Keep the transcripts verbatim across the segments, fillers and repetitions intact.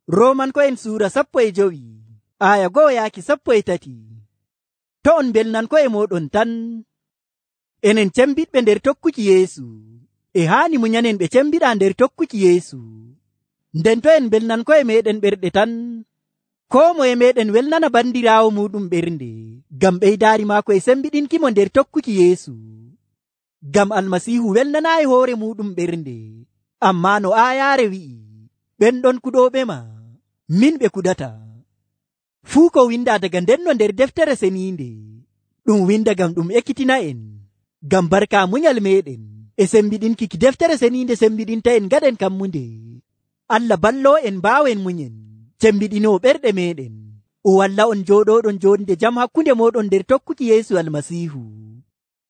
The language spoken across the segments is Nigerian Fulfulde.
Roomanko'en suura sappo e jowi aya go'o yaaki sappo e tati. To on belnanko'e mooɗon tan, enen cembiɗɓe nder tokkuki Yeesu e haani munyanen ɓe cembiɗaa nder tokkuki Yeesu. Nden to en belnanko'e meeɗen ɓerɗe tan, koo moye meeɗen welnana bandiraawo muuɗum ɓernde ngam ɓeydaari maako e sembiɗinkimo nder tokkuki Yeesu. Ngam Almasiihu welnanaayi hoore muuɗum ɓernde, ammaa no aayaare wi'i, ɓen ɗon kuɗooɓema, min ɓe kuɗata. Fuu ko windaa daga ndenno nder deftere seniinde, ɗum winda ngam ɗum ekkitina en, ngam barka munyal meeɗen e sembiɗinki ki deftere seniinde sembiɗinta en gaɗen kammunde. Allah balloo en mbaawen munyen, cembiɗinoo ɓerɗe meeɗen, o walla on jooɗooɗon jonde jam hakkunde mooɗon nder tokkuki Yeesu Almasiihu.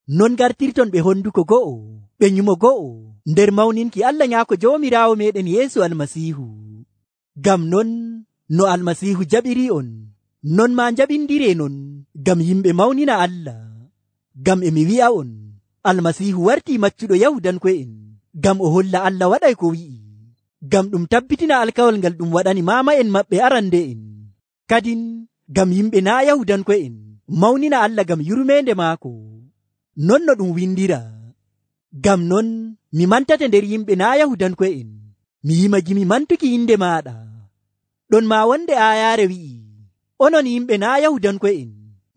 Non gartirton ɓe honduko go'o, ɓe nyumo go'o, nder mawninki Allah Nyaako Joomiraawo meeɗen Yeesu Almasiihu. Ngam non no Almasiihu jaɓiri on, non maa jaɓindiree non ngam yimɓe mawnina Allah. Ngam e mi wi'a on, Almasiihu wartii maccuɗo Yahudanko'en, ngam o holla Allah waɗay ko wi'i, ngam ɗum tabbitina alkawal ngal ɗum waɗani maama'en maɓɓe arande'en. Kadin ngam yimɓe naa' Yahudanko'en mawnina Allah ngam yurmeende maako. Non no ɗum windira, ngam non mi mantate nder yimɓe naa' Yahudanko'en, mi yimagi mi mantuki inde maaɗa. Ɗon maa wonde aayaare wi'i, onon yimɓe naa' Yahudanko'en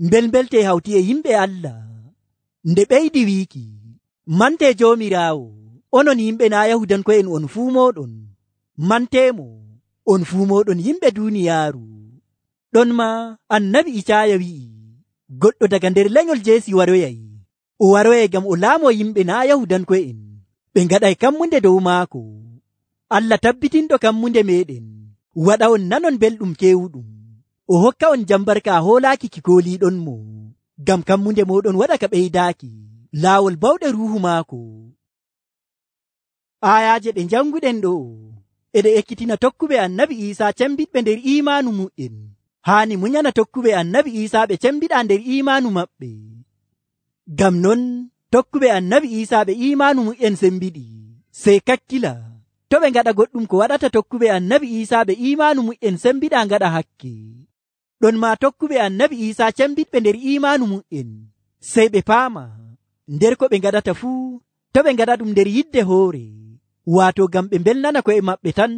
mbelmbelte hawti e yimɓe Allah. Nde ɓeydi wiiki, mante Joomiraawo, onon yimɓe naa' Yahudanko'en on fuu mooɗon, manteemo, on fuu mooɗon yimɓe duuniyaaru. Ɗon maa annabi Icaaya wi'i, goɗɗo daga nder lenyol Jeesi waroyay, o waroyay ngam o laamoo yimɓe naa' Yahudanko'en, ɓe ngaɗay kammunde dow maako. Allah tabbitinɗo kammunde meeɗen, waɗa on nanon belɗum keewuɗum, o hokka on jam barka hoolaaki ki kooliiɗonmo, ngam kammunde mooɗon waɗa ka ɓeydaaki laawol bawɗe ruuhu maako. Aayaaje ɗe janguɗen ɗo eɗe ekkitina tokkuɓe annabi Iisaa cembiɗɓe nder iimaanu mu'en haani munyana tokkuɓe annabi Iisaa ɓe cembiɗaa nder iimaanu maɓɓe. Ngam non tokkuɓe annabi Iisaa ɓe iimaanu mu'en sembiɗi, sey kakkila to ɓe ngaɗa goɗɗum ko waɗata tokkuɓe annabi Iisaa ɓe iimaanu mu'en sembiɗaa ngaɗa hakke. Ɗon maa tokkuɓe annabi Iisaa cembiɗɓe nder iimaanu mu'en, sey ɓe paama nder ko ɓe ngaɗata fuu, to ɓe ngaɗa ɗum nder yidde hoore, waato ngam ɓe mbelnana ko'e maɓɓe tan,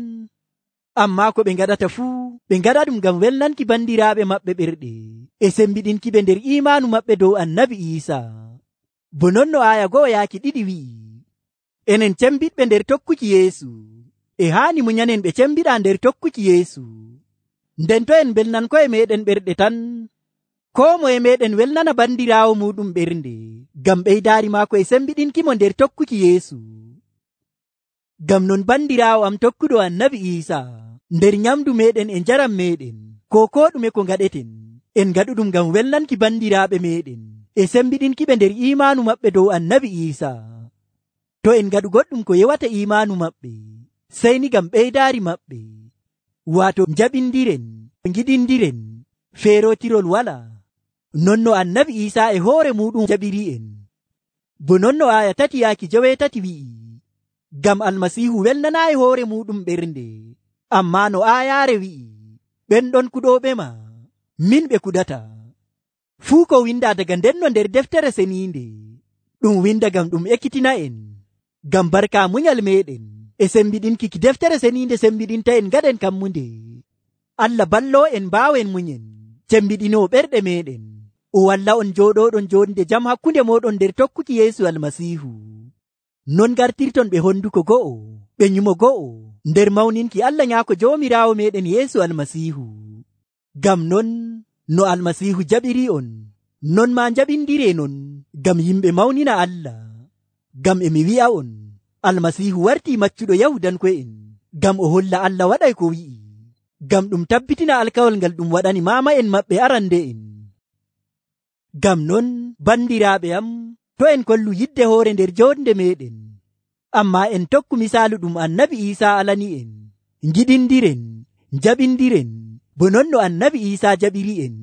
ammaa ko ɓe ngaɗata fuu ɓe ngaɗa ɗum ngam welnanki bandiraaɓe maɓɓe ɓerɗe e sembiɗinki ɓe nder iimaanu maɓɓe dow annabi Iisaa. Bo non no aaya go'o yaaki ɗiɗi wi'i, enen cembiɗɓe nder tokkuki Yeesu e haani munyanen ɓe cembiɗaa nder tokkuki Yeesu. Nden to en belnan ko'e meeɗen ɓerɗe tan, koo moye meeɗen welnana bandiraawo muuɗum ɓernde ngam ɓeydaari maako e sembiɗinkimo nder tokkuki Yeesu. Ngam non bandiraawo am tokkuɗo annabi Iisaa, nder nyamdu meeɗen e njaram meeɗen, ko koo ɗume ko ngaɗeten, en ngaɗuɗum ngam welnanki bandiraaɓe meeɗen e sembiɗinki ɓe nder iimaanu maɓɓe dow annabi Iisaa. To en ngaɗu goɗɗum ko yewata iimaanu maɓɓe, sey ni ngam ɓeydaari maɓɓe, waato njaɓindiren, ngiɗindiren, feerotirol wala, non no annabi Iisaa e hoore muɗum jaɓiri en. Bo non no aaya tati yaaki joweetati wi'i, ngam Almasiihu welnanaayi hoore muɗum ɓernde, ammaa no aayaare wi'i, ɓen ɗon kuɗooɓema, min ɓe kuɗata. Fuu ko windaa daga ndenno nder deftere seniinde, ɗum winda ngam ɗum ekkitina en, ngam barka munyal meeɗen e sembiɗinki ki deftere seniinde sembiɗinta en gaɗen kammunde. Allah balloo en mbaawen munyen, cembiɗinoo ɓerɗe meeɗen, o walla on jooɗooɗon jonde jam hakkunde mooɗon nder tokkuki Yeesu Almasiihu. Non gartirton ɓe honduko go'o, ɓe nyumo go'o, nder mawninki Allah Nyaako Joomiraawo meeɗen Yeesu Almasiihu. Ngam non no Almasiihu jaɓiri on, non maa jaɓindiree non ngam yimɓe mawnina Allah. Ngam e mi wi'a on, Almasiihu wartii maccuɗo Yahudanko'en, ngam o holla Allah waɗay ko wi'i, ngam ɗum tabbitina alkawal ngal ɗum waɗani maama'en maɓɓe arande'en. Ngam non bandiraaɓe am, to en kollu yidde hoore nder jonde meeɗen, ammaa en tokku misaalu ɗum annabi Iisaa alani en, ngiɗindiren, njaɓindiren, bo non no annabi Iisaa jaɓiri en.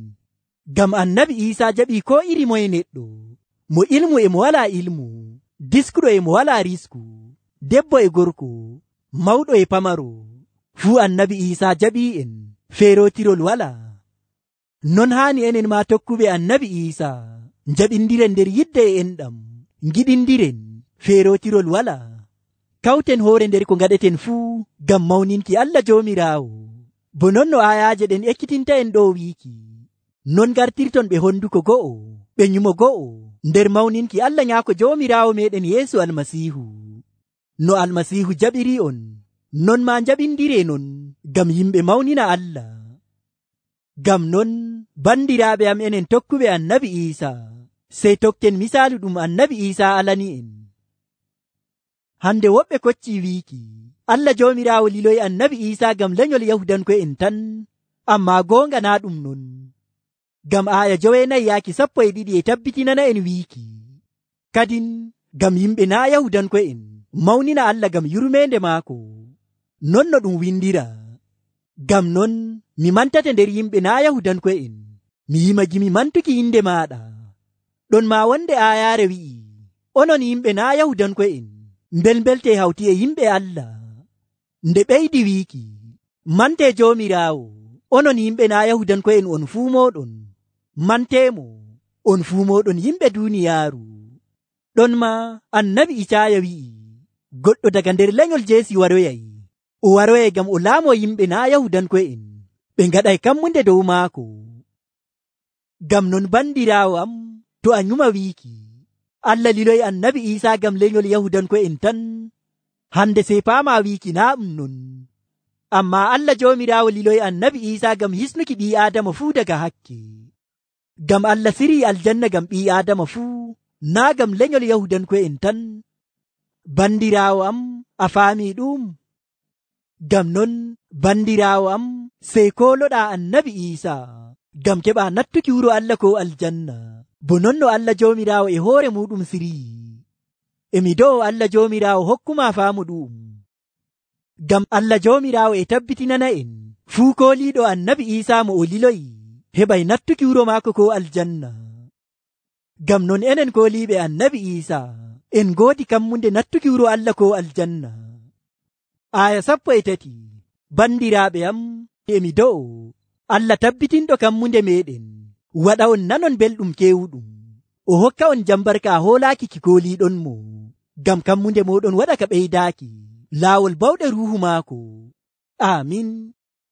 Ngam annabi Iisaa jaɓii ko iri moye neɗɗo, mo ilmu e mo walaa ilmu, diskuɗo e mo walaa risku, debbo e gorko, mawɗo e pamaro, fuu annabi Iisaa jaɓii'en feerotirol walaa. Non haani enen maa tokkuɓe annabi Iisaa jaɓindiren nder yidde e enɗam, ngiɗindiren feerotirol walaa. Kawten hoore nder ko ngaɗeten fuu ngam mawninki Allah Joomiraawo. Bo non no aayaaje ɗen ekkitinta en ɗo wiiki, non gartirton ɓe honduko go'o, ɓe nyumo go'o nder mawninki Allah Nyaako Joomiraawo meɗen Yeesu Almasiihu. No Almasiihu jaɓiri on, non maa jaɓindiree non ngam yimɓe mawnina Allah. Ngam non bandiraaɓe am enen tokkuɓe annabi Iisaa, sey tokken misaalu ɗum annabi Iisaa alani en. Hande woɓɓe koccii wiiki Allah Joomiraawo liloyi annabi Iisaa ngam lenyol Yahudanko'en tan, ammaa goonga naa ɗum non. Ngam aaya joweenayi yaaki sappo e ɗiɗi e tabbitinana en wiiki, kadin ngam yimɓe naa Yahudanko'en mawnina Allah ngam yurmeende maako. Non no ɗum windiraa. Ngam non mi mantate nder yimɓe naa Yahudanko'en, mi yimagimi mantuki inde maaɗa. Ɗon maa wonde aayaare wi'i, onon yimɓe naa Yahudanko'en mbelmbelte hawti e yimɓe Allah. Nde ɓeydi wiiki, mante Joomiraawo, onon yimɓe naa Yahudanko'en on fuu mooɗon, manteemo on fuu mooɗon yimɓe duuniyaaru. Ɗon maa annabi Icaaya wi'i, goɗɗo daga nder lenyol Jeesi waroyay, o waroyay ngam o laamo yimɓe naa Yahudanko'en, ɓe ngaɗay kammunde dow maako. Ngam non bandiraawo am, to a nyuma wiiki Allah liloyi annabi Iisaa ngam lenyol Yahudanko'en tan, hande sey paamaa wiiki naa ɗum non. Ammaa Allah Joomiraawo liloyi annabi Iisaa ngam hisnuki ɓii Aadama fuu daga hakke. Ngam Allah sirii aljanna ngam ɓii Aadama fuu, naa ngam lenyol Yahudanko'en tan. Bandiraawo am, a faamii ɗum? Ngam non bandiraawo am, sey kooloɗaa annabi Iisaa ngam keɓaa nattuki wuro Allah ko aljanna, bo non no Allah Joomiraawo e hoore muɗum sirii. Emi do'o Allah Joomiraawo hokkumaa faamu ɗum. Ngam Allah Joomiraawo e tabbitinana en fuu kooliiɗo annabi Iisaa mo o liloyi heɓay nattuki wuro maako ko aljanna. Ngam non enen kooliiɓe annabi Iisaa en ngoodi kammunde nattuki wuro Allah ko aljanna. Aya sappo e tati. Bandiraaɓe am, emi do'o Allah tabbitinɗo kammunde meɗen waɗa on nanon belɗum kewuɗum, o hokka on jambarka hoolaaki ki kooliiɗon mo, ngam kammunde moɗon waɗa ka ɓeydaaki laawol bawɗe ruuhu maako. Amin.